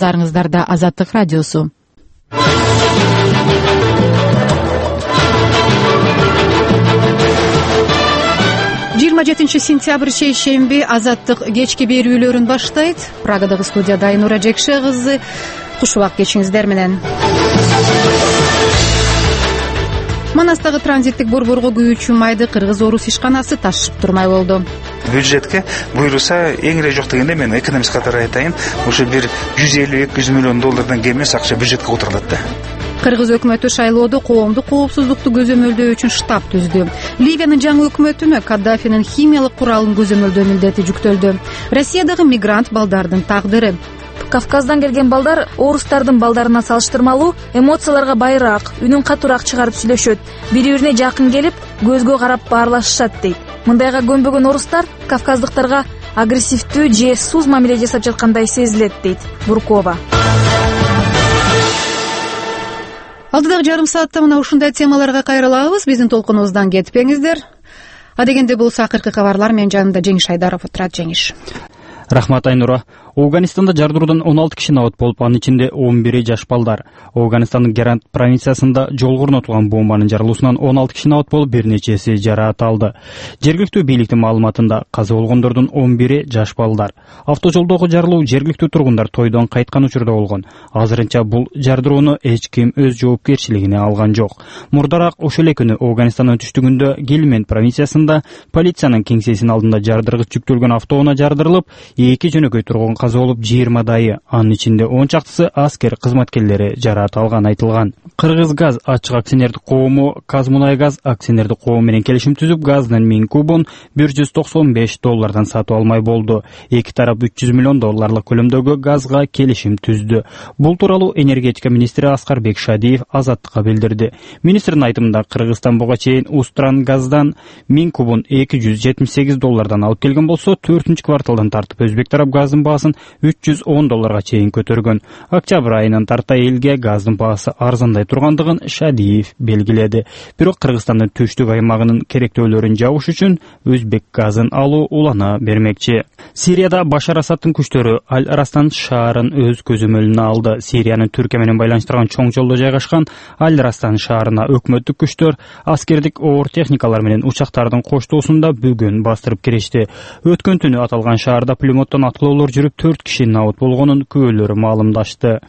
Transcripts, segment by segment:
Назарыңыздарда Азаттык радиосу. 27 сентябрь шейшемби Азаттык кечки берүүлөрүн баштайт. Прагадагы студияда Айнура Жекше кызы. Куш убак кечиңиздер менен. Манастагы транзиттик борборго күйүүчү майды Кыргыз-Орус ишканасы ташып турмай болду. Бюджетке буйруса эң эле жок дегенде мен экономист катары айтайын, ошо бир 150-200 миллион доллардан кем эмес акча бюджетке отурулат да. Кыргыз өкмөтү шайлоодо коомдук коопсуздукту көзөмөлдөө үчүн штаб түздү. Ливиянын жаңы өкмөтүнө Каддафинин химиялык куралын көзөмөлдөө милдети жүктөлдү. Россиядагы мигрант балдардын тагдыры. Кавказдан келген балдар орустардын балдарына салыштырмалуу эмоцияларга байыраак, үнүн катуураак чыгарып сүйлөшөт. Бири-бирине жакын келип, көзгө карап баарлашышат дейт. Мындайга көнбөгөн орустар кавказдыктарга агрессивдүү же суз мамиле жасап жаткандай сезилет дейт Буркова. Алдыдагы жарым саатта мына ушундай темаларга кайрылабыз. Биздин толкунубуздан кетпеңиздер. Адегенде болсо акыркы кабарлар менен жанымда Жеңиш Айдаров отурат. Жеңиш. Рахмат, Айнура. Афганистанда жардыруудан 16 киши абат болуп, анын ичинде 11 жаш балдар. Афганистандын Герант провинциясында жолго орнотулган бомбанын жарылуусунан 16 киши абат болуп, бир нечеси жараат алды. Жергиликтүү бийликтин маалыматында каза болгондордун 11 жаш балдар. Автожолдогу жарылуу жергиликтүү тургундар тойдон кайткан учурда болгон. Азырынча бул жардырууну эч ким өз жоопкерчилигине алган жок. Мурдараак ошол эле күнү Афганистандын түштүгүндө Гельманд провинциясында полициянын кеңсесинин алдында жардыргыч жүктөлгөн автоунаа жардырылып, 2 жөнөкөй тургун каза болуп, 20 анын ичинде 10 чактысы аскер кызматкерлери жараат алган айтылган. Кыргызгаз ачык акционердик коому Казмунайгаз акционердик коому менен келишим түзүп, газдын 1000 кубун $195 сатып алмай болду. Эки тарап $300 миллион көлөмдөгү газга келишим түздү. Бул тууралуу энергетика министри Аскарбек Шадиев Азаттыкка билдирди. Министрдин айтымында Кыргызстан буга чейин Устрангаздан 1000 кубун $278 алып келген болсо, 4-кварталдан тартып өзбек тарап газдын баасын $310 чейин көтөргөн. Октябрь айынан тарта элге газдын баасы арзандай тургандыгын Шадиев белгиледи. Бирок Кыргызстандын түштүк аймагынын керектөөлөрүн жабыш үчүн өзбек газын алуу улана бермекчи. Сирияда Башар Асадтын күчтөрү Аль-Растан шаарын өз көзөмөлүнө алды. Сириянын Түркия менен байланыштырган чоң жолдо жайгашкан Аль-Растан шаарына өкмөттүк күчтөр аскердик оор техникалар менен учактардын коштоосунда бүгүн бастырып киришти. Өткөн түнү аталган шаарда пулеметтон аткылоолор жүрүп, 4 киши абат болгонун күбөлөрү маалымдашты.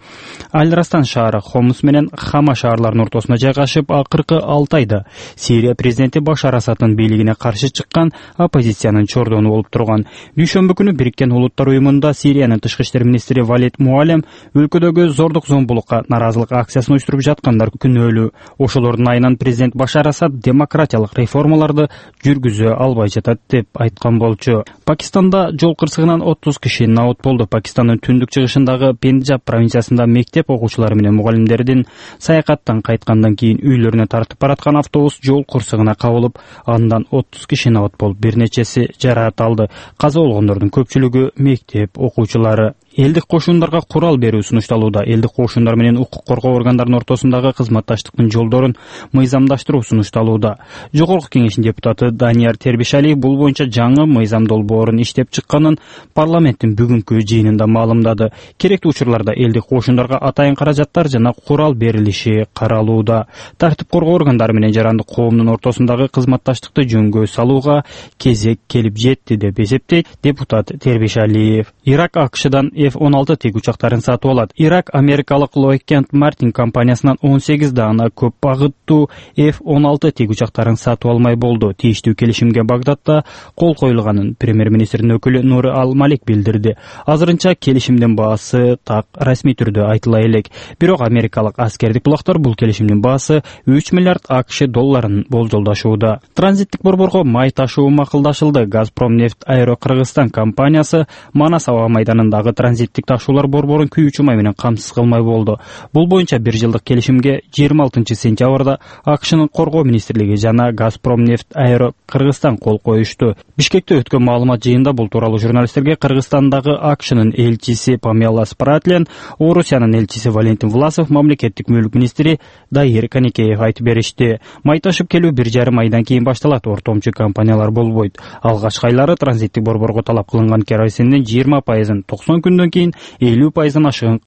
Аль-Растан шаары Хомс менен Хама шаарларынын ортосуна жайгашып, акыркы 6 айда Сирия президенти Башар Асадтын бийлигине каршы чыккан оппозициянын чордону болуп турган. Дүйшөмбү күнү Бириккен Улуттар уюмунда Сириянын тышкы иштер министри Валид Муалем өлкөдөгү зордук зомбулукка наразылык акциясын уюштуруп жаткандар күнөөлүү. Ошолордун айынан президент Башар Асад демократиялык реформаларды жүргүзө албай жатат деп айткан болчу. Пакистанда жол кырсыгынан 30 киши абат болду. Пакистандын түндүк чыгышындагы Пенджаб провинциясында мектеп окуучулары менен мугалимдердин саякаттан кайткандан кийин үйлөрүнө тартып бараткан автобус жол кырсыгына кабылып, андан 30 киши абат болуп, бир нечеси жараат алды. Каза болгондордун көпчүлүгү мектеп окуучулары. Элдик кошундарга курал берүү сунушталууда. Элдик кошундар менен укук коргоо органдарынын ортосундагы кызматташтыктын жолдорун мыйзамдаштыруу сунушталууда. Жогорку кеңештин депутаты Данияр Тербишалиев бул боюнча жаңы мыйзам долбоорун иштеп чыкканын парламенттин бүгүнкү жыйынында маалымдады. Керектүү учурларда элдик кошундарга атайын каражаттар жана курал берилиши каралууда. Тартип коргоо органдары менен жарандык коомдун ортосундагы кызматташтыкты жөнгө салууга кезек келип жетти деп эсептейт депутат Тербишалиев. Ирак АКШдан F-16 тик учактарын сатып алат. Ирак америкалык Lockheed Martin компаниясынан 18 даана көп багыттуу F-16 тик учактарын сатып алмай болду. Тийиштүү келишимге Багдадда кол коюлганын премьер-министрдин өкүлү Нури Ал-Малик билдирди. Азырынча келишимдин баасы так расмий түрдө айтыла элек. Бирок америкалык аскердик булактар бул келишимдин баасы $3 миллиард АКШ долларын болжолдашууда. Транзиттик борборго май ташуу макулдашылды. Газпромнефть Аэро Кыргызстан компаниясы Манас аба майданындагы транзиттик ташуулар борборун күйүүчү май менен камсыз кылмай болду. Бул боюнча 1 жылдык келишимге 26 сентябрда АКШнын коргоо министрлиги жана Газпромнефть Аэро Кыргызстан кол коюшту. Бишкекте өткөн маалымат жыйында бул тууралуу журналисттерге Кыргызстандагы АКШнын элчиси Памела Спратлен, Орусиянын элчиси Валентин Власов, мамлекеттик мүлк министри Дайыр Канекеев айтып беришти. Май ташып келүү 1,5 айдан кийин башталат. Ортомчу компаниялар болбойт. Алгачкы айлары транзиттик борборго талап кылынган керосиндин 20%, 90 күндөн кийин 50% ашыгын